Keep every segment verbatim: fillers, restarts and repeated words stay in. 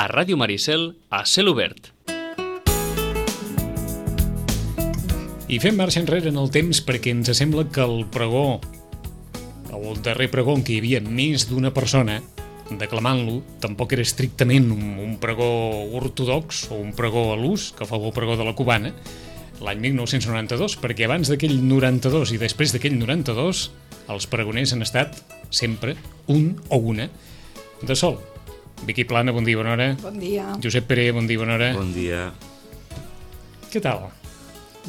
a Ràdio Maricel, a Cel Obert. I fem marxa enrere en el temps perquè ens sembla que el pregó, el darrer pregó en què hi havia més d'una persona declamant-lo, tampoc era estrictament un, un pregó ortodox o un pregó a l'ús, que fou el pregó de la Cubana, l'any mil nou-cents noranta-dos, perquè abans d'aquell noranta-dos i després d'aquell noranta-dos, els pregoners han estat sempre un o una de sol. Vicky Plana, bon dia, bona hora. Bon dia. Josep Pere, bon dia, bona hora. Bon dia. Què tal?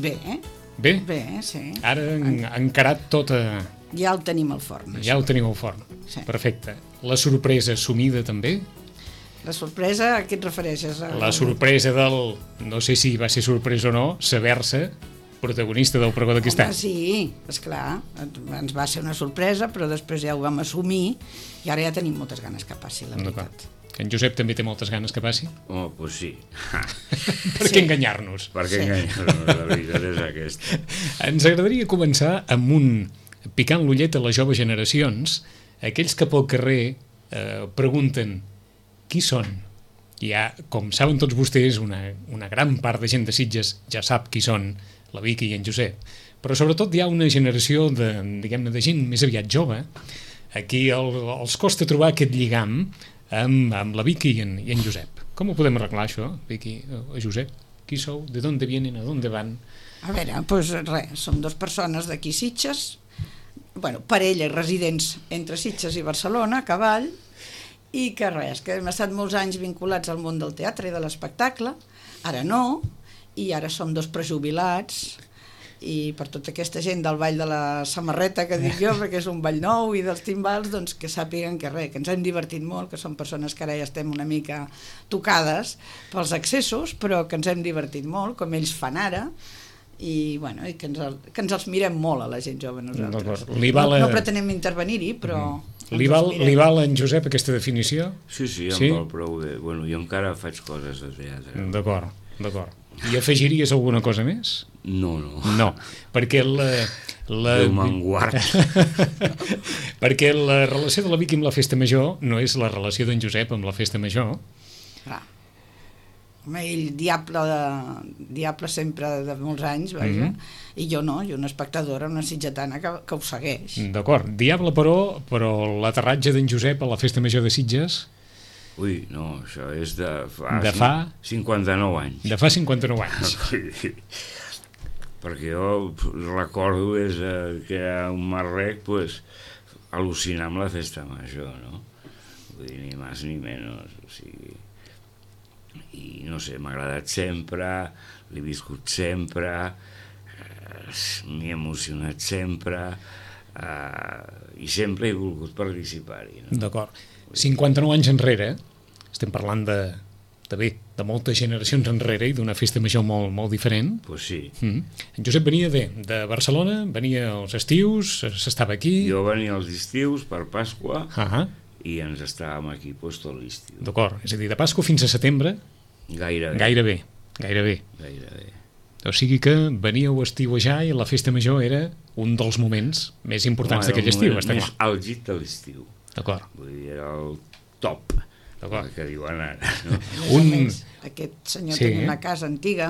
Bé, eh? Bé? Bé, sí. Ara han encarat tot a... Ja el tenim al forn. Ja ho teniu al forn. Sí. Perfecte. La sorpresa assumida també? La sorpresa, a què et refereixes? A... La sorpresa del... No sé si va ser sorpresa o no, saber-se protagonista del pregó d'aquest any. Home, sí, esclar. Ens va ser una sorpresa, però després ja ho vam assumir i ara ja tenim moltes ganes que passi, la veritat. Que en Josep també té moltes ganes que passi? Oh, pues sí. Per Sí. què enganyar-nos? Per què Sí. enganyar-nos? La veritat és aquesta. Ens agradaria començar amb un picant l'ullet a les joves generacions, aquells que pel carrer eh, pregunten qui són. Ja, com saben tots vostès, una, una gran part de gent de Sitges ja sap qui són, la Vicky i en Josep. Però sobretot hi ha una generació de, diguem-ne, de gent més aviat jove, a qui el, els costa trobar aquest lligam amb, amb la Vicky i en, i en Josep. Com ho podem arreglar, això, Vicky o Josep? Qui sou? De d'on vienen? A d'on van? A veure, doncs res, som dues persones d'aquí Sitges, bueno, parella i residents entre Sitges i Barcelona, a cavall, i que res, que hem estat molts anys vinculats al món del teatre i de l'espectacle, ara no, i ara som dos prejubilats, i per tota aquesta gent del ball de la samarreta que dic jo, perquè és un ball nou, i dels timbals, doncs que sàpiguen que res, que ens hem divertit molt, que som persones que ara ja estem una mica tocades pels excessos, però que ens hem divertit molt, com ells fan ara, i, bueno, i que, ens el, que ens els mirem molt a la gent jove nosaltres. Li val a... no, no pretenem intervenir-hi, però... Mm. Li val, li val a en Josep aquesta definició? Sí, sí, em Sí? val prou bé. Bueno, jo encara faig coses de teatre. D'acord, d'acord. I afegiries alguna cosa més? No, no. No, perquè la... la... Déu me'n guard. perquè la relació de la Vicky amb la festa major no és la relació d'en Josep amb la festa major. Clar. Home, ell diable, de, diable sempre de molts anys, vaja, Mhm. i jo no, jo una espectadora, una sitgetana que, que ho segueix. D'acord, diable però, però l'aterratge d'en Josep a la festa major de Sitges Ui, no, això és de fa... De fa? cinquanta-nou anys. de fa cinquanta-nou anys. Perquè jo recordo des que era un marrec, pues, al·lucinar amb la festa major, no? Vull dir, ni més ni menys, o sigui... I no sé, m'ha agradat sempre, l'he viscut sempre, eh, m'he emocionat sempre, eh, i sempre he volgut participar-hi, no? D'acord. cinquanta-nou anys enrere, estem parlant de, de bé, de moltes generacions enrere i d'una festa major molt, molt diferent. Pues sí. Mm. En Josep venia de, de Barcelona, venia als estius, s'estava aquí... Jo venia als estius per Pasqua, Ah, i ens estàvem aquí pues, tot l'estiu. d'acord, és a dir, de Pasqua fins a setembre, Gairebé. gairebé, gairebé. Gairebé. O sigui que veníeu a estiuejar i la festa major era un dels moments més importants Home, d'aquell era el estiu, moment està més clar. àlgid de l'estiu. D'acord. Vull dir, era el top, D'acord. el que diuen ara. No? A més Un- a més, aquest senyor Sí, tenia eh? una casa antiga,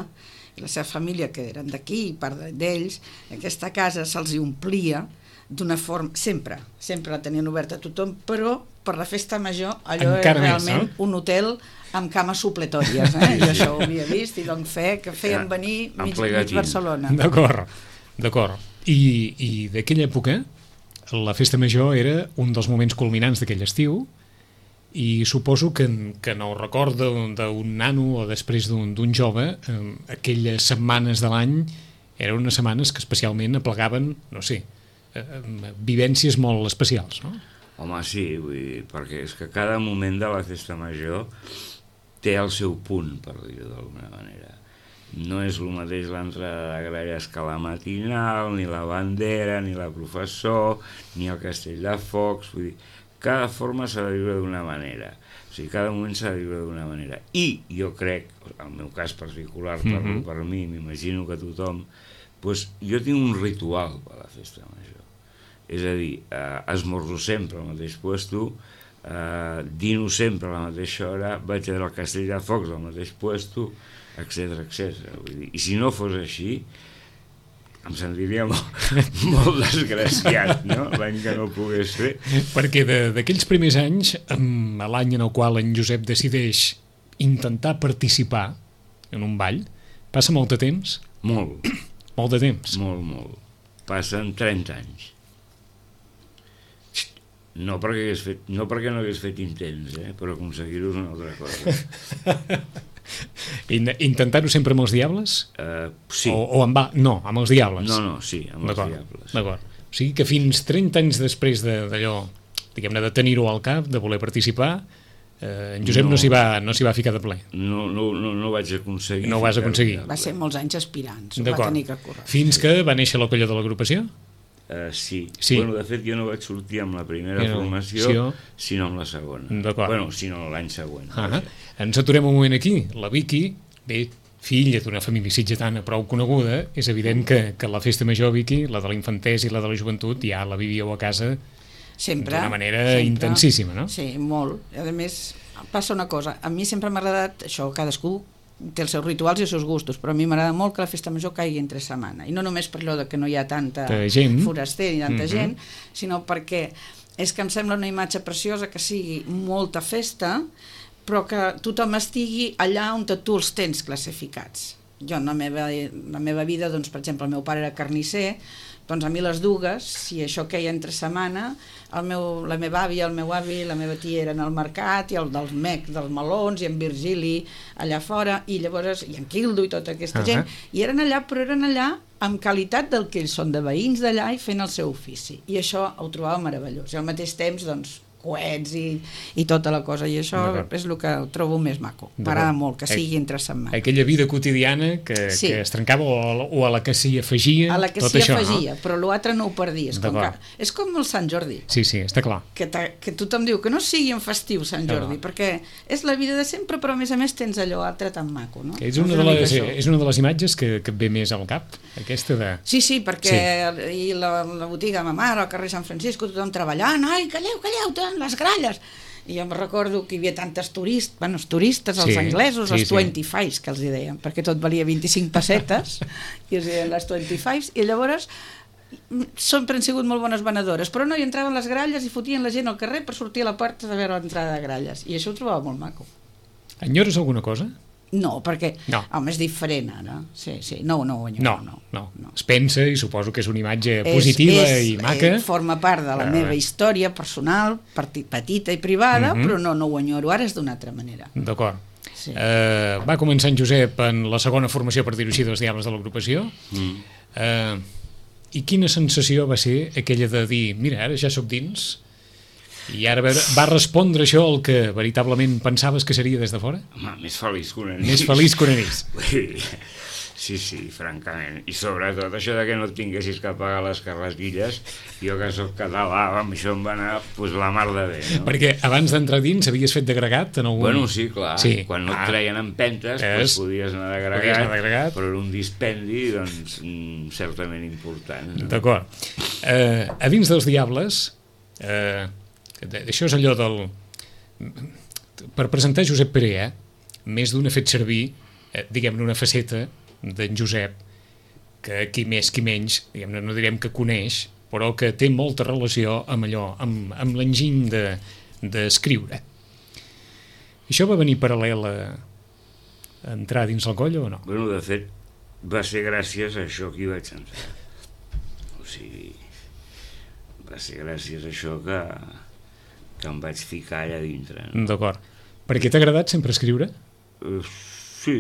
i la seva família, que eren d'aquí, part d'ells, aquesta casa se'ls hi omplia d'una forma, sempre, sempre la tenien oberta a tothom, però per la festa major allò Encara era més, realment no? un hotel amb cames supletòries, eh? Jo això ho havia vist i doncs fe que feien Ja, venir en mig, mig plegatín. Barcelona. D'acord, d'acord. I, i d'aquella època, la festa major era un dels moments culminants d'aquell estiu i suposo que, que en el record d'un d'un nano o després d'un d'un jove, eh, aquelles setmanes de l'any eren unes setmanes que especialment aplegaven, no sé, eh, eh, vivències molt especials, no? Home, sí, vull dir, perquè és que cada moment de la festa major té el seu punt, per dir-ho d'alguna manera. No és el mateix l'entrada de gralles que la matinal, ni la bandera, ni la professor, ni el castell de focs, vull dir, cada forma s'ha de viure d'una manera, o sigui, cada moment s'ha de viure d'una manera. I jo crec, el meu cas particular, parlo Mhm. per mi, m'imagino que tothom, doncs jo tinc un ritual per a la festa major. És a dir, eh, esmorzo sempre al mateix puesto, eh, dino sempre a la mateixa hora, vaig al Castell de Focs al mateix puesto, etcètera, etcètera. Vull dir, i si no fos així, em sentiria molt, molt desgraciat, no?, l'any que no ho pogués fer. Perquè d'aquells primers anys, amb l'any en el qual en Josep decideix intentar participar en un ball, passa molt de temps? Molt. Molt de temps? Molt, molt. Passen trenta anys. No perquè, hagués fet, no perquè no hagués fet intents, eh? Però aconseguir-ho és una altra cosa. Intentar-ho sempre amb els Diables? Uh, sí. O, o amb va... No, amb els Diables. No, no, sí, amb els Diables. D'acord. O sigui que fins trenta anys després d'allò, diguem-ne, de tenir-ho al cap, de voler participar, eh, en Josep no, no s'hi va, no s'hi va ficar de ple. No, no, no, no vaig aconseguir. No ho vas aconseguir. Va ser molts anys aspirants, ho va tenir que córrer. Fins que va néixer la colla de l'agrupació? Uh, sí. sí, bueno, de fet jo no vaig sortir amb la primera no, formació, sí, sinó amb la segona. Bueno, sinó l'any següent. Ah, ens aturem un moment aquí. La Vicky, bé, filla d'una família sitgetana prou coneguda, és evident que, que la festa major, Vicky, la de la infantesa i la de la joventut, ja la vivíeu a casa d'una manera sempre, intensíssima, no? Sí, molt. A més, passa una cosa, a mi sempre m'ha agradat, això, cadascú té els seus rituals i els seus gustos, però a mi m'agrada molt que la festa major caigui entre setmana, i no només per allò de que no hi ha tanta gent. foraster i tanta mm-hmm. gent, sinó perquè és que em sembla una imatge preciosa que sigui molta festa, però que tothom estigui allà on tu els tens classificats. Jo en la meva, la meva vida, doncs, per exemple, el meu pare era carnisser, doncs a mi les dugues, si això queia entre setmana, el meu, la meva àvia, el meu avi, la meva tia eren al mercat, i el del Mec, dels melons, i en Virgili allà fora, i llavors, i en Quildo i tota aquesta uh-huh. gent, i eren allà, però eren allà amb qualitat del que ells són, de veïns d'allà i fent el seu ofici. I això ho trobava meravellós. I al mateix temps, doncs, coets i, i tota la cosa, i això és el que trobo més maco. M'agrada molt que sigui entre setmana. Aquella vida quotidiana que, sí. que es trencava o, o a la que s'hi afegia, a la que s'hi afegia, no? Però l'altre no ho perdies. Com que, és com el Sant Jordi. Sí, sí, està clar. Que, que tothom diu que no sigui en festiu Sant Jordi, no. perquè és la vida de sempre, però a més a més tens allò altre tan maco, no? És una, de les, és una de les imatges que, que et ve més al cap, aquesta de... Sí, sí, perquè sí. I la, la botiga de ma mare, al carrer Sant Francisco, tothom treballant, ai, calleu, calleu, les gralles, i jo em recordo que hi havia tantes turistes, bueno, els turistes, els sí, anglesos, sí, els vint-i-fives, que els hi deien, perquè tot valia vint-i-cinc pessetes, i els deien les vint-i-fives, i llavors sempre han sigut molt bones venedores, però no, hi entraven les gralles i fotien la gent al carrer per sortir a la porta de veure l'entrada de gralles, i això ho trobava molt maco. Enyores alguna cosa? No, perquè no. home, és diferent ara. Sí, sí, no, no, no, no, no, no. no. Es pensa i suposo que és una imatge positiva és, és, i maca. Eh, forma part de la uh, meva història personal, petita i privada, uh-huh. però no, no ho enyoro, ara és d'una altra manera. D'acord. Sí. Uh, va començar en Josep en la segona formació, per dir-ho així, dels Diables de l'agrupació. Mm. Uh, I quina sensació va ser aquella de dir, mira, ara ja sóc dins... I ara va respondre això el que veritablement pensaves que seria des de fora? Home, més feliç que un anís. Més feliç que un anís. Sí, sí, francament. I sobretot això de que no tinguessis que pagar les carretilles, jo que sóc català, amb això em va anar pues, la mar de bé. No? Perquè abans d'entrar dins havies fet d'agregat en algun... Bueno, sí, clar. Sí. Quan no et treien en pentes, es... pues, podies anar d'agregat, però era un dispendi doncs, certament important. No? D'acord. Uh, a dins dels Diables... Uh, això és allò del... Per presentar Josep Perea, més d'un ha fet servir, eh, diguem-ne, una faceta d'en Josep, que qui més, qui menys, diguem-ne, no direm que coneix, però que té molta relació amb allò, amb, amb l'enginy d'escriure. De, això va venir paral·lel a, a entrar dins el coll o no? Bueno, de fet, va ser gràcies a això que hi vaig entrar. O sigui, va ser gràcies a això que... que em vaig ficar allà dintre. No? D'acord. Per què t'ha agradat sempre escriure? Uh, sí.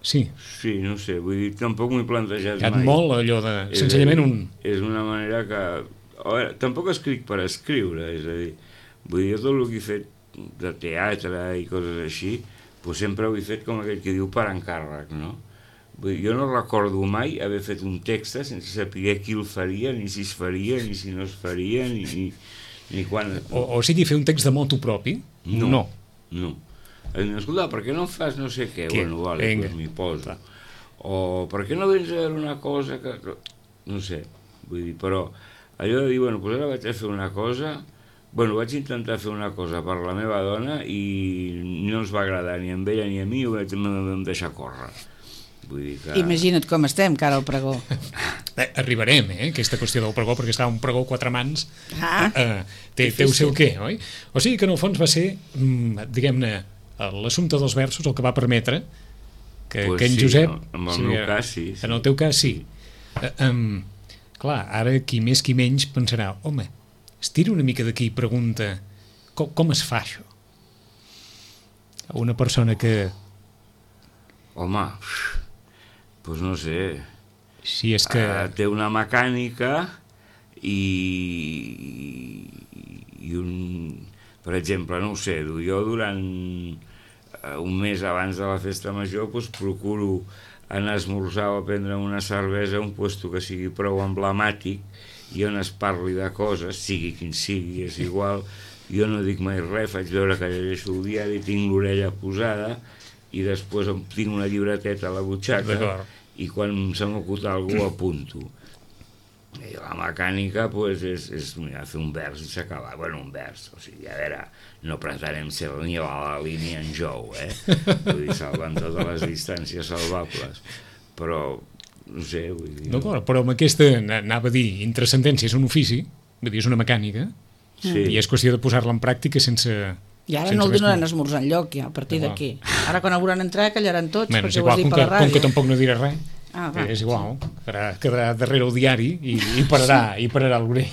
Sí? Sí, no sé, vull dir, tampoc m'ho he plantejat mai. Hi ha molt allò de... És, senzillament un... És una manera que... A veure, tampoc escric per escriure, és a dir, vull dir, tot el que he fet de teatre i coses així, doncs sempre ho he fet com aquell que diu per encàrrec, no? Vull dir, jo no recordo mai haver fet un text sense saber qui el faria, ni si es faria, ni si no es faria, ni... ni Ni quan... o, o sigui, fer un text de motu propi? No, no. no. Escolta, per què no fas no sé què? què? Bueno, vale, doncs m'hi poso. Clar. O per què no vens a veure una cosa que... No sé, vull dir, però allò de dir, bueno, doncs ara vaig a fer una cosa, Bueno, vaig intentar fer una cosa per la meva dona i no ens va agradar ni a ella ni a mi, i ho vam deixar córrer. Vull dir que... Imagina't com estem, cara al pregó. Eh, arribarem, eh, aquesta qüestió del pregó, perquè està un pregó quatre mans, Ah, eh, té, té el seu què, oi? O sigui que en el fons va ser, mm, diguem-ne, l'assumpte dels versos el que va permetre que, Pues que en sí, Josep... no? En el sí, meu cas, sí, sí. En el teu cas, sí. Eh, um, clar, ara qui més qui menys pensarà, home, es tira una mica d'aquí i pregunta com, com es fa això? Una persona que... Home, doncs no sé, Si és que... uh, té una mecànica i, i un... Per exemple, no ho sé, jo durant uh, un mes abans de la festa major doncs procuro anar a esmorzar o a prendre una cervesa a un lloc que sigui prou emblemàtic i on es parli de coses, sigui quin sigui, és igual. Jo no dic mai res, faig veure que llegeixo el diari, tinc l'orella posada i després em tinc una llibreteta a la butxaca i quan se m'acut algú apunto. I la mecànica pues, és, és mira, fer un vers i s'acaba. Bueno, un vers, o sigui, a veure, no pretenem ser ni a la línia en jou, eh? Vull dir, salvant totes les distàncies salvables, però no sé, vull dir... No, clar, però amb aquesta, anava a dir, intrascendència és un ofici, vull dir, és una mecànica, Sí. i és qüestió de posar-la en pràctica sense... I ara sense no el res donaran més. a esmorzar enlloc, ja, a partir Igual. d'aquí. Ara quan hauran entrar callaran tots, Bueno, és perquè ho has igual, dit com per que, la com que ràdio. tampoc no diré res, Ah, va. és igual, quedarà, quedarà darrere el diari i, i pararà, i pararà l'orell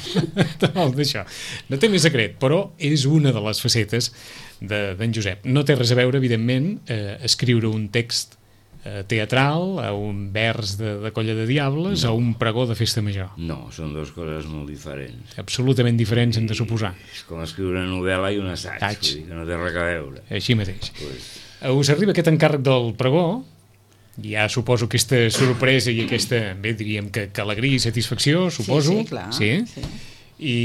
d'això. No té més secret, però és una de les facetes de- d'en Josep. No té res a veure, evidentment, eh, escriure un text eh, teatral, a un vers de, de Colla de Diables, no. A un pregó de festa major. No, són dues coses molt diferents. Absolutament diferents, hem de suposar. És com escriure una novel·la i un assaig, Assaig. vull dir que no té res a veure. Així mateix. Pues, Us arriba aquest encàrrec del pregó, ja suposo aquesta sorpresa i aquesta, bé, diríem que, que alegria i satisfacció, suposo. Sí, sí, clar. Sí? Sí. I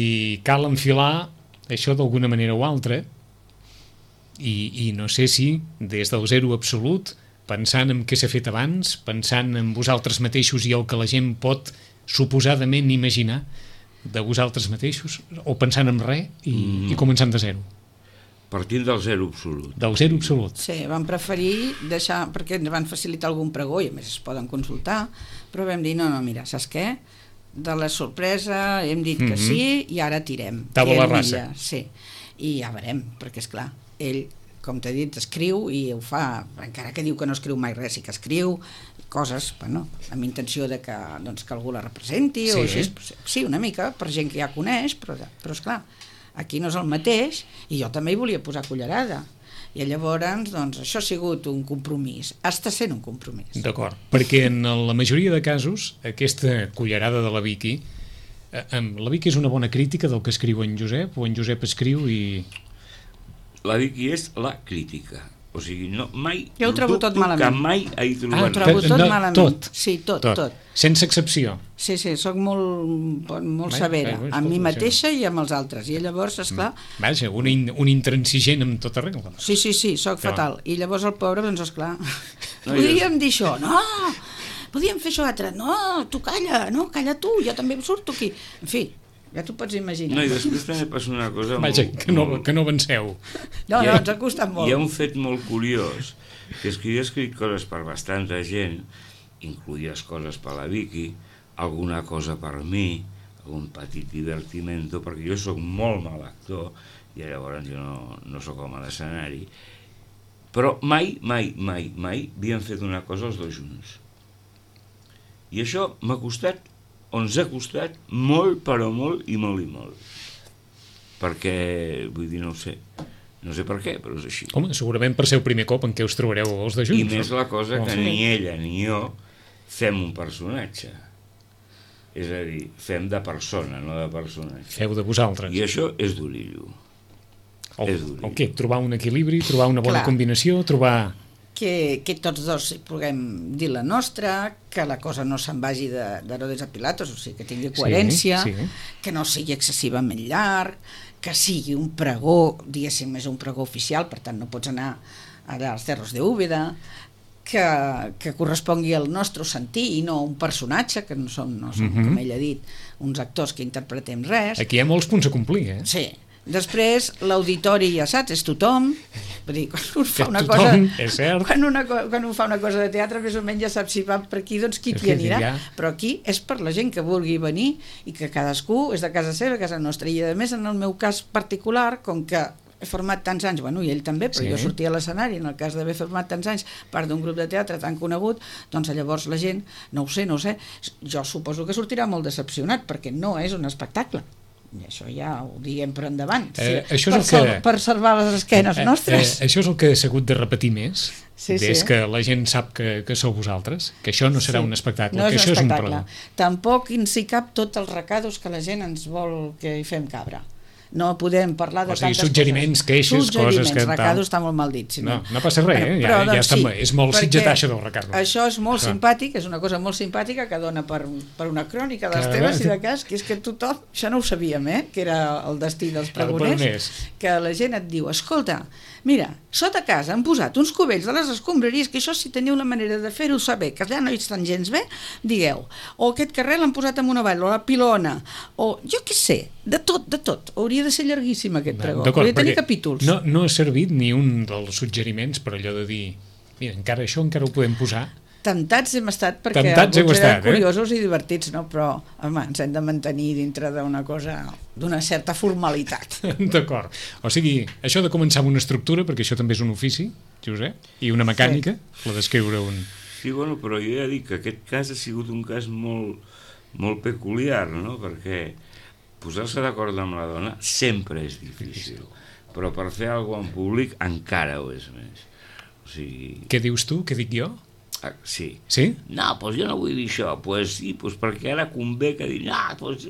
cal enfilar això d'alguna manera o altra i, i no sé si des del zero absolut, pensant en què s'ha fet abans, pensant en vosaltres mateixos i el que la gent pot suposadament imaginar de vosaltres mateixos, o pensant en res i, mm. i començant de zero. partint del zero absolut. Del zero absolut. Sí, vam preferir deixar, perquè ens van facilitar algun pregó i a més es poden consultar, però vam dir, no, no, mira, saps què? De la sorpresa hem dit que Mhm. sí i ara tirem. Tabula Tirem rasa. ella, sí, i ja veurem, perquè és clar, ell, com t'he dit, escriu i ho fa, encara que diu que no escriu mai res, sí que escriu coses, bueno, amb intenció de que, doncs, que algú la representi, Sí. o així, sí, una mica, per gent que ja coneix, però, però esclar, aquí no és el mateix, i jo també hi volia posar cullerada, i llavors, doncs, això ha sigut un compromís, està sent un compromís. D'acord, perquè en la majoria de casos aquesta cullerada de la Vicky, eh, em- la Vicky és una bona crítica del que escriu en Josep, o en Josep escriu i... La Vicky és la crítica. O sigui, no, mai... Jo ho trobo tot dubto malament. Que mai he Ho trobat trobo que- tot no, malament. tot. Sí, tot, tot, tot. Sense excepció. Sí, sí, sóc molt, molt Bé, severa, bé, bé, amb mi escolta, mateixa i amb els altres, i llavors, esclar, Vaja, un, in, un intransigent amb tota regla. sí, sí, sí, sóc Però- fatal, i llavors el pobre, doncs, esclar, No, podríem dir això, no, podríem fer això altre, no, tu calla, no, calla tu, jo també em surto aquí, en fi, ja t'ho pots imaginar. No, i després també passa una cosa Vaja, molt... que no, molt- que no avanceu. No, hi no, ha- ens ha costat molt. Hi ha un fet molt curiós, que és que jo he escrit coses per bastanta gent, incluïdes coses per la Vicky, alguna cosa per mi, algun petit divertimento, perquè jo sóc molt mal actor, i llavors jo no, no sóc home d'escenari, però mai, mai, mai, mai havíem fet una cosa els dos junts. I això m'ha costat, o ens ha costat, molt, però molt, i molt, i molt. Perquè, vull dir, no ho sé, no sé per què, però és així. Home, segurament per ser el primer cop en què us trobareu els de junts. I més la cosa que Oh. ni ella ni jo fem un personatge. És a dir, fem de persona, no de personatge. Feu de vosaltres. I això és d'orillo. El, és dur. el què? Trobar un equilibri, trobar una bona Clar. combinació, trobar... Que, que tots dos hi puguem dir la nostra, que la cosa no se'n vagi de, de Herodes a Pilatos, o sigui, que tingui coherència, Sí, sí. que no sigui excessivament llarg, que sigui un pregó, diguéssim, és un pregó oficial, per tant no pots anar allà als Cerros de Úbeda, que, que correspongui al nostre sentir i no un personatge, que no som, no som Mhm. com ell ha dit, uns actors que interpretem res. Aquí hi ha molts punts a complir, eh? Sí, Després, l'auditori, ja saps, és tothom. Vull dir, quan un fa una tothom, cosa... és cert. Quan, una, quan un fa una cosa de teatre, més o menys ja saps si va per aquí, doncs qui t'hi anirà. Ja. Però aquí és per la gent que vulgui venir i que cadascú és de casa seva, casa nostra. I a més, en el meu cas particular, com que he format tants anys, bueno, i ell també, però sí. Jo sortia a l'escenari, en el cas d'haver format tants anys, part d'un grup de teatre tan conegut, doncs llavors la gent, no ho sé, no ho sé, jo suposo que sortirà molt decepcionat, perquè no és un espectacle. I això ja ho diguem per endavant, eh, sí, això per, és el que... per salvar les esquenes nostres. Eh, eh, això és el que he hagut de repetir més, sí, des sí. que la gent sap que, que sou vosaltres, que això no serà sí. un espectacle, no que és això un espectacle. és un pregó. Tampoc ens hi cap tots els recados que la gent ens vol que hi fem cabra. No podem parlar de o sigui, tantes suggeriments, coses. queixes, suggeriments, coses que... recado està molt mal dit. Si no. no, no passa res, bueno, eh? però, ja, doncs, ja està, sí, és molt sitgetaixa del recado. Això és molt ah. simpàtic, és una cosa molt simpàtica que dona per, per una crònica de les Cada teves, vegada... i de cas, que és que tothom, això no ho sabíem, eh? Que era el destí dels pregoners, pregoners, que la gent et diu, escolta, mira, sota casa han posat uns cubells de les escombraries, que això si teniu la manera de fer-ho saber, que allà no hi estan gens bé, digueu, o aquest carrer l'han posat en una vall, o la pilona, o jo què sé, de tot, de tot. Hauria de ser llarguíssim aquest pregó, hauria de tenir capítols. No, no ha servit ni un dels suggeriments per allò de dir, mira, encara això encara ho podem posar. Temptats hem estat perquè Temptats alguns eren estat, curiosos eh? i divertits, no? Però home, ens hem de mantenir dintre d'una cosa, d'una certa formalitat. D'acord. O sigui, això de començar amb una estructura, perquè això també és un ofici, Josep, i una mecànica, sí. La d'escriure un... Sí, bueno, però jo ja dic que aquest cas ha sigut un cas molt, molt peculiar, no? Perquè posar-se d'acord amb la dona sempre és difícil, però per fer alguna cosa en públic encara ho és més. O sigui... Què dius tu? Què dic jo? Ah, sí. Sí? No, doncs jo no vull dir això. Doncs pues sí, pues perquè ara convé que dir... Ah, doncs...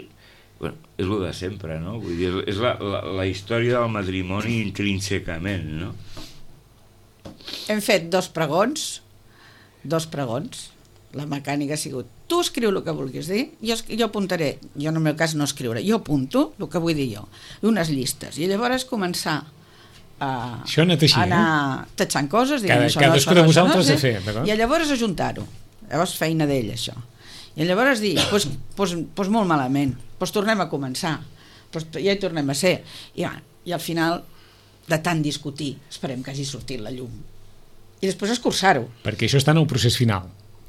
Bueno, és el de sempre, no? Vull dir, és la, la, la història del matrimoni intrínsecament, no? Hem fet dos pregons, dos pregons. La mecànica ha sigut, tu escriu el que vulguis dir, jo, jo apuntaré, jo en el meu cas no escriure, jo apunto el que vull dir jo, unes llistes, i llavors començar a, això ha anat així, a anar eh? tatxant coses, dient, Cada, això cadascú no, de això vosaltres no, a fer, d'acord? I llavors ajuntar-ho, llavors feina d'ell això, i llavors dir, doncs pues, pues, pues molt malament, doncs pues tornem a començar, pues ja hi tornem a ser, i, i al final de tant discutir esperem que hagi sortit la llum, i després escurçar-ho. Perquè això està en el procés final.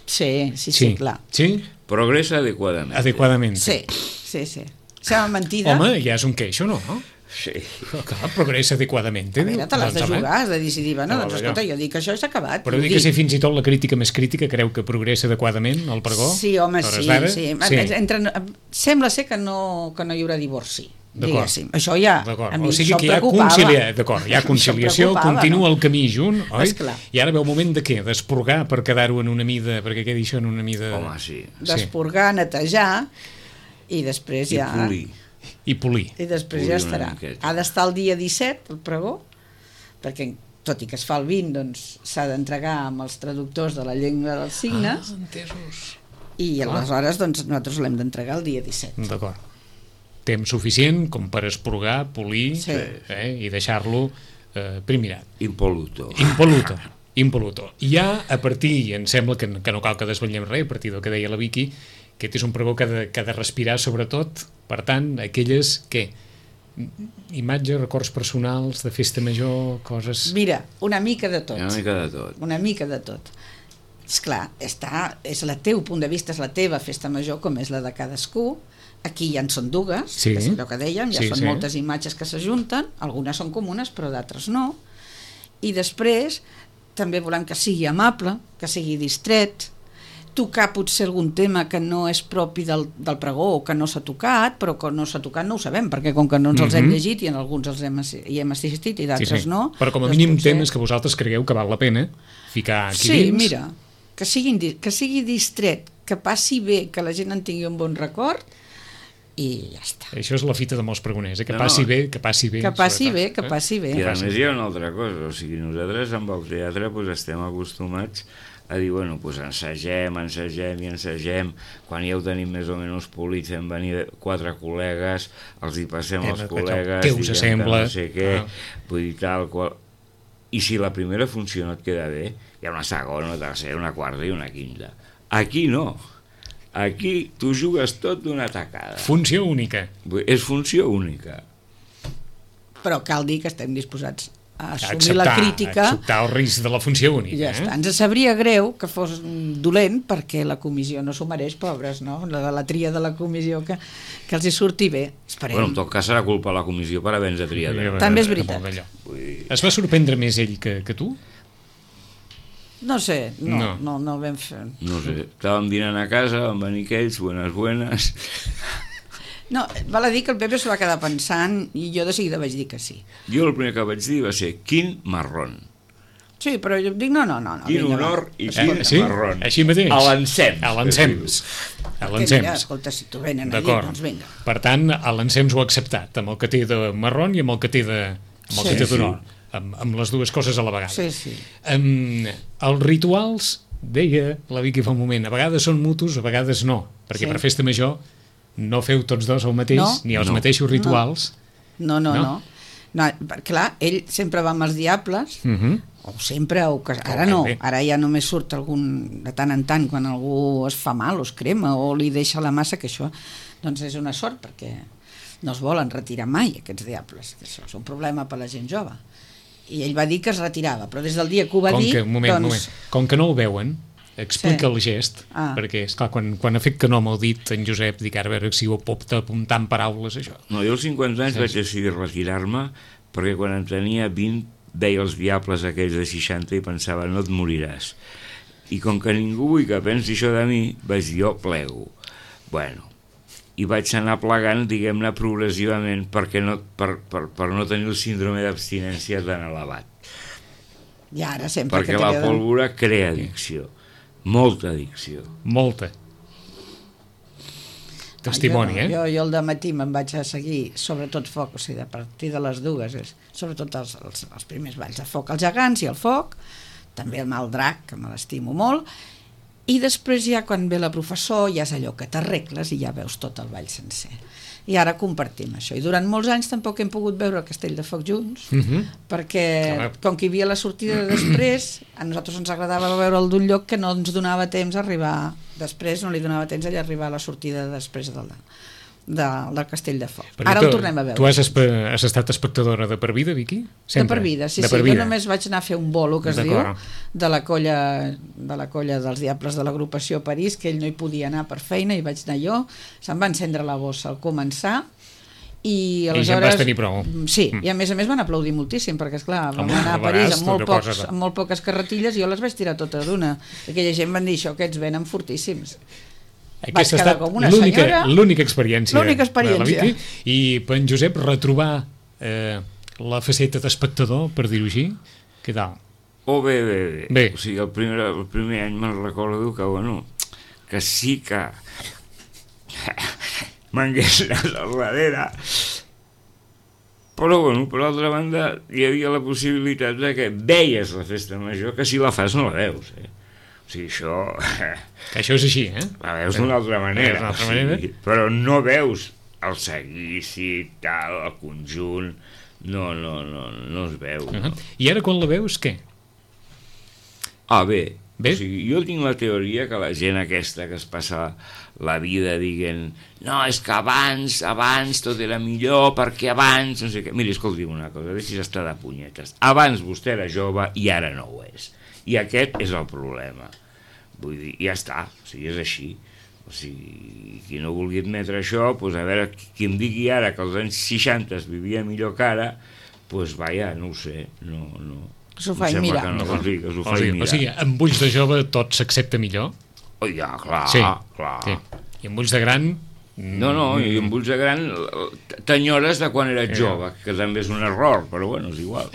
Sí, sí, sí, sí, clar. Sí? Progressa adequadament. Adequadament. Sí, sí, sí. Sembla mentida. Home, ja és un queixo, no? Sí. Clar, progressa adequadament. A veure, te l'has de jugar, has de decidir, bueno, doncs escolta, jo dic que això s'ha acabat. Però dic que si fins i tot la crítica més crítica creu que progressa adequadament el pregó? Sí, home, sí, sí. sí. Entre, sembla ser que no, que no hi haurà divorci. Diguéssim. Això ja a mi o sigui això que hi ha, concilia... hi ha conciliació, continua no? El camí junt, oi? Esclar. I ara ve el moment de què? D'esporgar per quedar-ho en una mida, perquè què dir això en una mida... Home, sí. D'esporgar, netejar, i després I ja... polir. I polir. I després polir ja estarà. Ha d'estar el dia disset, el pregó, perquè tot i que es fa el vint, doncs s'ha d'entregar amb els traductors de la llengua dels signes. Ah, entesos. I aleshores doncs, nosaltres l'hem d'entregar el dia disset. D'acord. Temps suficient com per esporgar, polir, sí. eh, i deixar-lo eh, primirat. Impoluto. Impoluto. Impoluto. I ja a partir, i em sembla que, que no cal que desvetllem res, a partir del que deia la Vicky, aquest és un pregó que ha de, que ha de respirar sobretot, per tant, aquelles que imatges, records personals de festa major, coses... Mira, una mica de tot. Una mica de tot. Una mica de tot. Esclar, està, és el teu punt de vista, és la teva festa major, com és la de cadascú. Aquí ja en són dues, sí. Que és allò que dèiem, ja sí, són sí. moltes imatges que s'ajunten, algunes són comunes, però d'altres no. I després també volem que sigui amable, que sigui distret, tocar potser algun tema que no és propi del, del pregó o que no s'ha tocat, però que no s'ha tocat no ho sabem, perquè com que no ens els hem llegit i en alguns els hem, hi hem assistit i d'altres sí, sí. no. Però com a mínim potser... temes que vosaltres cregueu que val la pena ficar aquí sí, dins. Sí, mira, que, siguin, que sigui distret, que passi bé, que la gent en tingui un bon record, i ja està. Això és la fita de molts pregoners, eh? que no, passi bé, que passi bé. Que passi bé, que passi bé. I a més hi ha una altra cosa, o sigui, nosaltres amb el teatre pues, estem acostumats a dir, bueno, pues ensagem, ensagem i ensagem, quan ja ho tenim més o menys polit, fem venir quatre col·legues, els hi passem eh, als col·legues, què us sembla? No sé què, ah. vull dir tal qual... I si la primera funció no et queda bé, hi ha una segona, una tercera, una quarta i una quinta. Aquí no. Aquí tu jugues tot d'una tacada. Funció única. És funció única. però cal dir que estem disposats a assumir acceptar, la crítica, a acceptar el risc de la funció única. i ja eh? està. Ens sabria greu que fos dolent, perquè la comissió no s'ho mereix, pobres, no? La, la tria de la comissió, que, que els hi surti bé. Esperem. Bueno, en tot cas serà culpa de la comissió per haver-nos triat. Eh? També és veritat. Molt d'allò. Vull dir, Es va sorprendre més ell que, que tu? No sé, no, No. no, no, no vam fer... no sé, estàvem dinant a casa, van venir aquells, buenas, buenas... No, val a dir que el Pepe s'ho va quedar pensant i jo de seguida vaig dir que sí. Jo el primer que vaig dir va ser, quin marrón. Sí, però jo dic, no, no, no. no Quin vinga, honor va. i Eh, quin sí? marrón. Així mateix? A l'encems. A l'encems. A Perquè mira, l'encems. escolta, si t'ho venen allí, D'acord. doncs vinga. Per tant, a l'encems ho ha acceptat, amb el que té de marrón i amb el que té de amb el Sí, que té sí. d'honor. Amb, amb les dues coses a la vegada. Sí, sí. Um, els rituals, deia la Vicky fa un moment, a vegades són mutus, a vegades no, perquè Sí. per festa major no feu tots dos el mateix, No. ni els No. mateixos rituals. No, no, No? no. no. no clar, ell sempre va amb els diables, Uh -huh. o sempre, o que, ara Oh, no, bé. ara ja només surt algun, de tant en tant, quan algú es fa mal o es crema o li deixa la massa, que això doncs és una sort, perquè no es volen retirar mai aquests diables, que això és un problema per la gent jove. I ell va dir que es retirava, però des del dia que ho va Com dir, que, un moment, doncs... un moment. Com que no el veuen, explica Sí. el gest, Ah. perquè, esclar, quan, quan ha fet que no m'ho dit en Josep, dic, ara a veure si ho pot apuntar en paraules, això. No, jo als cinquanta anys Sí. vaig decidir retirar-me perquè quan en tenia vint veia els diables aquells de seixanta i pensava, no et moriràs. I com que ningú vull que pensi això de mi, vaig dir, jo plego. Bueno, i vaig anar plegant, diguem-ne, progressivament perquè no, per, per, per no tenir el síndrome d'abstinència tan elevat. I ara sempre Perquè que la t'he de- pólvora crea addicció, molta addicció. Molta. Testimoni, Ah, jo, eh? no. jo, jo al matí me'n vaig a seguir, sobretot foc, o sigui, a partir de les dues, és, sobretot els, els, els primers balls de foc, els gegants i el foc, també el mal drac, que me l'estimo molt, i després ja quan ve la professor ja és allò que t'arregles i ja veus tot el ball sencer. I ara compartim això. I durant molts anys tampoc hem pogut veure el Castell de Foc junts, Uh -huh. perquè Home. com que hi havia la sortida de després, a nosaltres ens agradava veure'l d'un lloc que no ens donava temps a arribar després, no li donava temps a arribar a la sortida de després del, de, del Castell de Foc. Perquè Ara tu, el tornem a veure. Tu has, espe, has estat espectadora de per vida, Vicky? Sempre? De per vida, sí, de sí. per Jo vida. només vaig anar a fer un bolo, que es diu, D'acord. de la colla de la colla dels Diables de l'agrupació a París, que ell no hi podia anar per feina i vaig anar jo. Se'm va encendre la bossa al començar i I aleshores... ja en vas tenir prou. Sí, Mm. i a més a més van aplaudir moltíssim, perquè esclar, vam Home, anar a a París vegades amb molt, tu pocs, poses- amb molt poques carretilles i jo les vaig tirar totes d'una. Aquella gent van dir això, aquests venen fortíssims. Aquesta ha quedar estat com una l'única senyora. l'única experiència. L'única experiència. de la Vicky. I per en Josep retrobar eh, la faceta d'espectador, per dir-ho així, què tal? Oh, bé, bé, bé. Bé. O sigui, el primer, el primer any me'n recordo que, bueno, que sí que m'hagués anat al darrere, però, bueno, per l'altra banda, hi havia la possibilitat de que veies la festa major, que si la fas no la veus, eh? O sigui, això... Que això és així, eh? La veus d'una altra manera, D'una altra o sigui, manera. però no veus el seguici, tal, el conjunt, no, no, no, no es veu. Uh No. -huh. I ara quan la veus, què? Ah, bé. Bé. O sigui, jo tinc la teoria que la gent aquesta que es passa la vida dient no, és que abans, abans tot era millor, perquè abans, no sé què. Miri, escolti'm una cosa, deixi's estar de punyetes. Abans vostè era jove i ara no ho és. I aquest és el problema. Vull dir, ja està, o sigui, és així. O sigui, qui no vulgui admetre això, doncs a veure, qui em digui ara que als anys seixanta es vivia millor que ara, doncs vaja, no ho sé, no, no. Que s'ho Em faci sembla mirar. Que no, o sigui, que s'ho O faci sigui, mirar. o sigui, amb ulls de jove tot s'accepta millor? Oh, ja, clar, Sí, clar. sí. I amb ulls de gran... No, no, i amb ulls de gran t'enyores de quan eres jove, que també és un error, però bueno, és igual.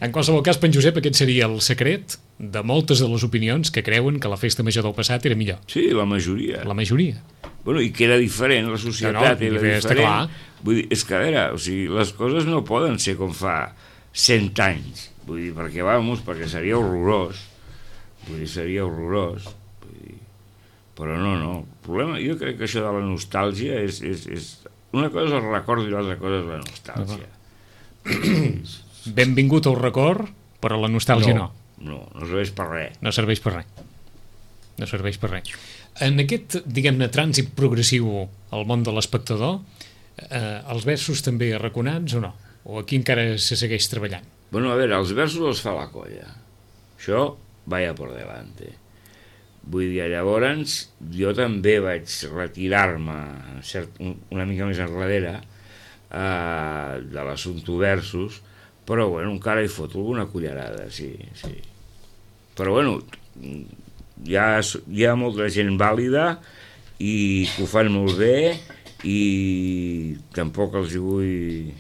En qualsevol cas, per en Josep, aquest seria el secret de moltes de les opinions que creuen que la festa major del passat era millor. Sí, la majoria. La majoria. Bueno, i que era diferent, la societat No, no, era està diferent. clar. Vull dir, és que a veure, o sigui, les coses no poden ser com fa cent anys. Vull dir, perquè, vamos, perquè seria horrorós. Vull dir, seria horrorós. Vull dir, però no, no. El problema, jo crec que això de la nostàlgia és... és, és una cosa és el record i l'altra cosa és la nostàlgia. Benvingut al record, però la nostàlgia no. No, no serveix per res. No serveix per res. No serveix per res. En aquest, diguem-ne, trànsit progressiu al món de l'espectador, eh, els versos també arraconats o no? O aquí encara se segueix treballant? Bueno, a veure, els versos els fa la colla. Això, vaya por delante. Vull dir, llavors, jo també vaig retirar-me cert, una mica més enrere eh, de l'assumpte versos, però, bueno, encara hi foto alguna cullerada, sí, sí. Però, bueno, hi ha, hi ha molta gent vàlida i que ho fan molt bé i tampoc els hi vull...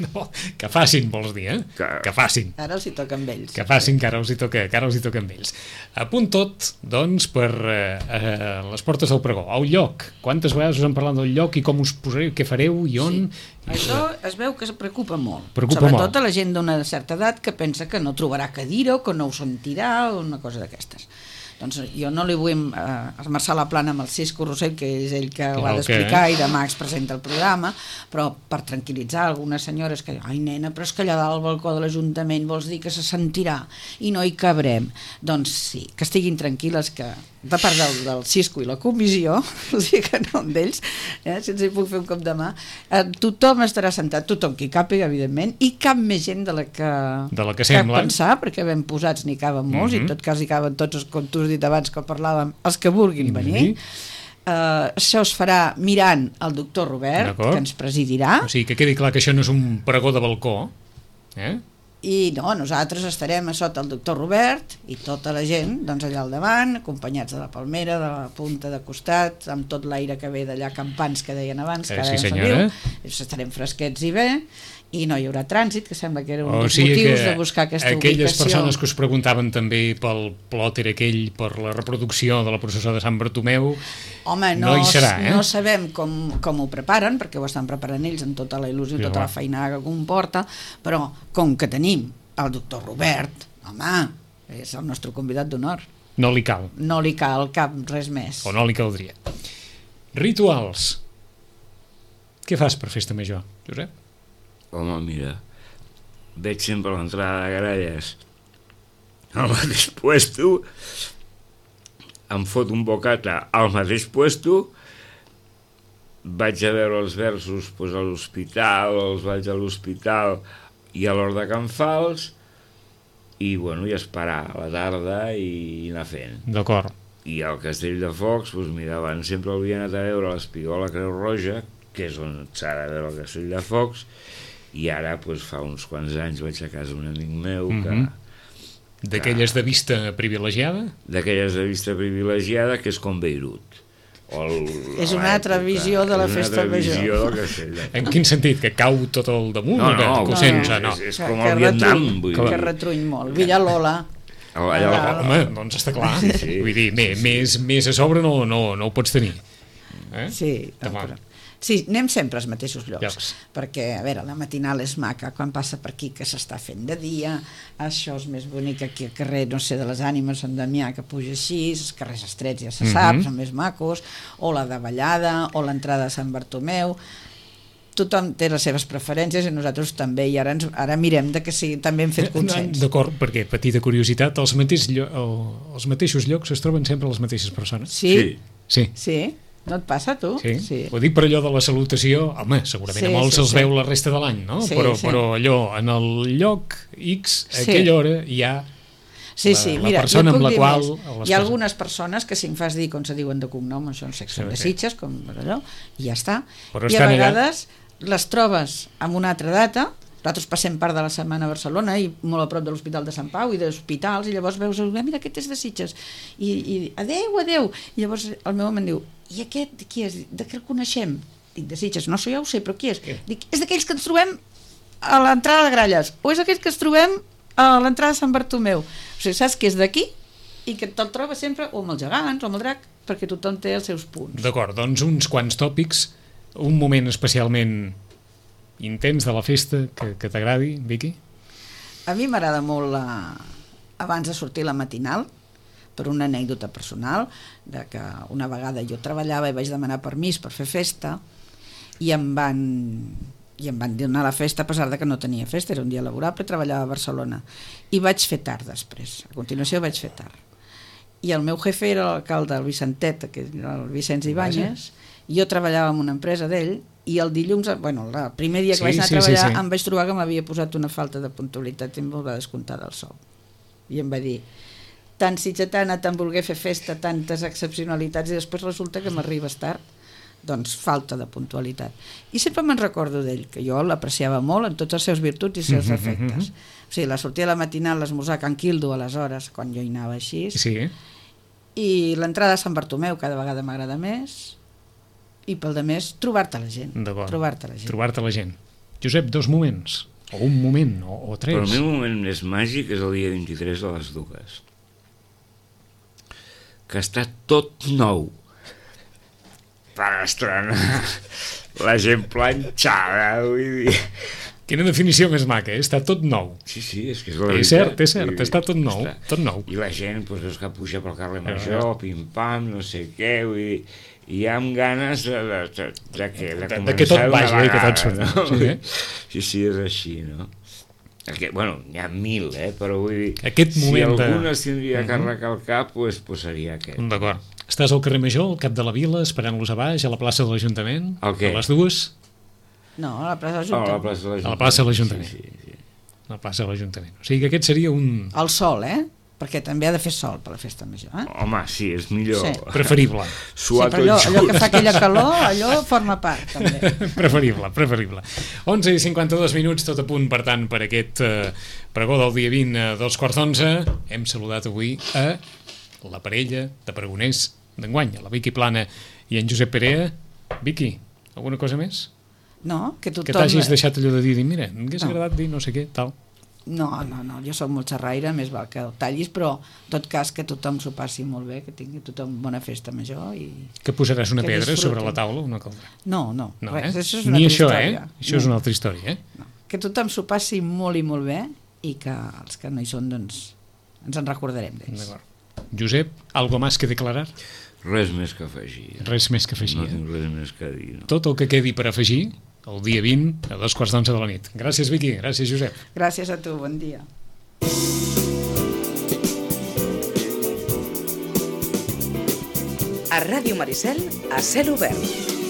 No, que facin, vols dir, eh? Que, que facin. Ara els hi toca amb ells. Que facin, que ara els hi toca, que ara els hi toca amb ells. A punt tot, doncs, per eh, eh, les portes del pregó. El lloc. Quantes vegades us han parlat del lloc i com us posareu, què fareu i on? Sí. Això es veu que es preocupa molt. Preocupa Sobretot molt. a la gent d'una certa edat que pensa que no trobarà cadira o que no ho sentirà o una cosa d'aquestes. Doncs jo no li vull eh, esmerçar la plana amb el Cisco Rossell, que és ell que ho ha d'explicar i demà es presenta el programa, però per tranquil·litzar algunes senyores que ai nena, però és que allà dalt al balcó de l'Ajuntament vols dir que se sentirà i no hi cabrem. Doncs sí, que estiguin tranquil·les, que de part del, del Cisco i la comissió, o sigui que no d'ells, eh, si ens hi puc fer un cop de mà, eh, tothom estarà sentat, tothom qui càpiga, evidentment, i cap més gent de la que, de la que sembla. pensar, perquè ben posats n'hi caben molts, mm-hmm. i en tot cas hi caben tots, com tu has dit abans que parlàvem, els que vulguin venir. Mm-hmm. Uh, això es farà mirant el doctor Robert, que ens presidirà. O sigui, que quedi clar que això no és un pregó de balcó, eh? I no, nosaltres estarem a sota el doctor Robert i tota la gent, doncs allà al davant, acompanyats de la palmera, de la punta de costat, amb tot l'aire que ve d'allà campans que deien abans, que ara sí, ja senyora. diu, estarem fresquets i bé, i no hi haurà trànsit, que sembla que era un o dels sigui motius que de buscar aquesta aquelles ubicació. Persones que us preguntaven també pel plòter aquell, per la reproducció de la processó de Sant Bartomeu, home, no, no hi serà, eh? No sabem com, com ho preparen, perquè ho estan preparant ells amb tota la il·lusió, Sí, tota va. la feinada que comporta, però com que tenim el doctor Robert, home, és el nostre convidat d'honor. no li cal, No li cal cap res més. o no li caldria. Rituals. Què fas per festa major, Josep? Home, mira, veig sempre a l'entrada de Gralles al mateix puesto, em fot un bocata al mateix puesto, vaig a veure els versos doncs, a l'hospital, els vaig a l'hospital i a l'Hort de Can Fals, i, bueno, i esperar a la tarda i anar fent. D'acord. I al Castell de Focs, doncs, mira, abans sempre havia anat a veure l'Espigola Creu Roja, que és on s'ha de veure el Castell de Focs, i ara, doncs, fa uns quants anys vaig a casa d'un amic meu que... Mm-hmm. D'aquelles de vista privilegiada? D'aquelles de vista privilegiada, que és com Beirut. O el, És una altra visió de la festa major. És una altra visió del Castell de Focs. En quin sentit? Que cau tot el damunt? No, o que, no, que ho no, sents? no, no. és, és Que- com que el Vietnam. retruny, Vull que dir. retruny molt. Villalola. Allà, allà, Home, doncs està clar. Sí, sí. Vull dir, més, més, més a sobre no, no, no ho pots tenir. Eh? Sí, no, Demà. però... sí, anem sempre als mateixos llocs, Llocs. perquè, a veure, la matinal és maca quan passa per aquí, que s'està fent de dia, això és més bonic aquí al carrer, no sé, de les Ànimes, Sant Damià, que puja així, els carrers estrets ja se sap, Mhm. són més macos, o la de Vallada, o l'entrada de Sant Bartomeu. Tothom té les seves preferències i nosaltres també, i ara, ens, ara mirem de que sí, també hem fet consens. D'acord, perquè, petita curiositat, els, mateix llo el, els mateixos llocs es troben sempre les mateixes persones? Sí? Sí. Sí. Sí? No et passa, tu? Sí. Sí. Ho dic per allò de la salutació, home, segurament Sí, a molts sí, els sí. veu la resta de l'any, no? Sí, però, sí. però allò, en el lloc X, a Sí. aquella hora, hi ha Sí, la- sí, la mira, persona jo amb puc la dir qual- més. les Hi ha persones- algunes persones que si em fas dir com se diuen de cognom, això no sé, que són de Sí. Sitges, com allò, i ja està. Però I a estan allà. vegades les trobes amb una altra data, nosaltres passem part de la setmana a Barcelona i molt a prop de l'Hospital de Sant Pau i d'hospitals, i llavors veus, ah, mira, aquest és de Sitges, i, i adeu, adeu, i llavors el meu home em diu, i aquest de qui és? De què el coneixem? Dic, de Sitges, no, això ja ho sé, però qui és? Què? Dic, és d'aquells que ens trobem a l'entrada de Gralles, o és aquells que ens trobem a l'entrada de Sant Bartomeu. O sigui, saps que és d'aquí i que te'l trobes sempre o amb els gegants o amb el drac, perquè tothom té els seus punts. D'acord, doncs uns quants tòpics, un moment especialment intens de la festa que, que t'agradi, Vicky? A mi m'agrada molt la... abans de sortir la matinal, per una anècdota personal, de que una vegada jo treballava i vaig demanar permís per fer festa i em van, i em van donar la festa a pesar de que no tenia festa, era un dia laborable, treballava a Barcelona, i vaig fer tard després, a continuació vaig fer tard. I el meu jefe era l'alcalde, el Vicentet, que era el Vicenç Ibáñez, i jo treballava en una empresa d'ell, i el dilluns, bueno, el primer dia que Sí, vaig anar sí, a treballar, sí, sí. em vaig trobar que m'havia posat una falta de puntualitat i em va descomptar del sou. I em va dir, tan sitgetana, tan volguer fer festa, tantes excepcionalitats, i després resulta que m'arribes tard. Doncs falta de puntualitat. I sempre me'n recordo d'ell, que jo l'apreciava molt en tots els seus virtuts i els seus defectes. O sigui, la sortida a la matinal, l'esmorzar a Can Quildo, aleshores, quan jo hi anava així, Sí, i l'entrada a Sant Bartomeu cada vegada m'agrada més, i pel de més, trobar-te la gent. d'acord. Trobar-te la gent. Trobar-te la gent. Josep, dos moments, o un moment, o, o tres. Però el meu moment més màgic és el dia vint-i-tres de les dues, que està tot nou per estrenar, la gent planxada, vull dir... Quina definició més maca, eh? Està tot nou. Sí, sí, és que és la És veritat. cert, és cert, Vull dir, està tot nou, està. tot nou. I la gent, doncs, veus que puja pel carrer Eh. Major, pim-pam, no sé què, vull dir, i amb ganes de, de, de, de, que, de, De- de començar que tot d'una vagi, eh, que tot vegada, surti. no? Sí, eh? sí, sí, és així, no? Aquest, bueno, n'hi ha mil, eh? Però vull dir, Aquest moment si de- algun es tindria que Mhm. arrencar al cap, doncs, pues seria aquest. D'acord. Estàs al carrer Major, al cap de la vila, esperant-los a baix, a la plaça de l'Ajuntament? El què? A les dues? No, a la plaça Oh, a la Junta. plaça de l'Ajuntament. A la plaça de l'Ajuntament. Sí, sí, sí. A la plaça de l'Ajuntament. O sigui que aquest seria un El sol, eh? Perquè també ha de fer sol per la festa major, eh? Home, sí, és millor. Sí. preferible. Suar sí, però allò, tot allò que just. fa aquella calor, allò forma part, també. preferible, preferible. onze i cinquanta-dos minuts, tot a punt, per tant, per aquest eh, pregó del dia vint a dos quarts d'onze. Hem saludat avui a la parella de pregoners d'enguany, a la Vicky Plana i en Josep Perea. Vicky, alguna cosa més? No, que tothom... Que t'hagis deixat allò de dir, dir mira, m'hagués No. agradat dir no sé què, tal. No, no, no, jo sóc molt xerraire, més val que el tallis, però en tot cas que tothom s'ho passi molt bé, que tingui tothom bona festa major i... Que posaràs una Que pedra disfrutin. sobre la taula o no caldrà? No, no, No, res, eh? això és una Ni altra això, història. eh? Això és No, una altra història, eh? no. Que tothom s'ho passi molt i molt bé i que els que no hi són, doncs, ens en recordarem d'ells. D'acord. Josep, algo más que declarar? Res més que afegir. Res més que afegir. No eh? tinc res més que dir, no? Tot el que quedi per afegir el dia vint a dos quarts d'onze de la nit. Gràcies, Vicky. Gràcies, Josep. Gràcies a tu, bon dia. A Ràdio Maricel, a cel obert.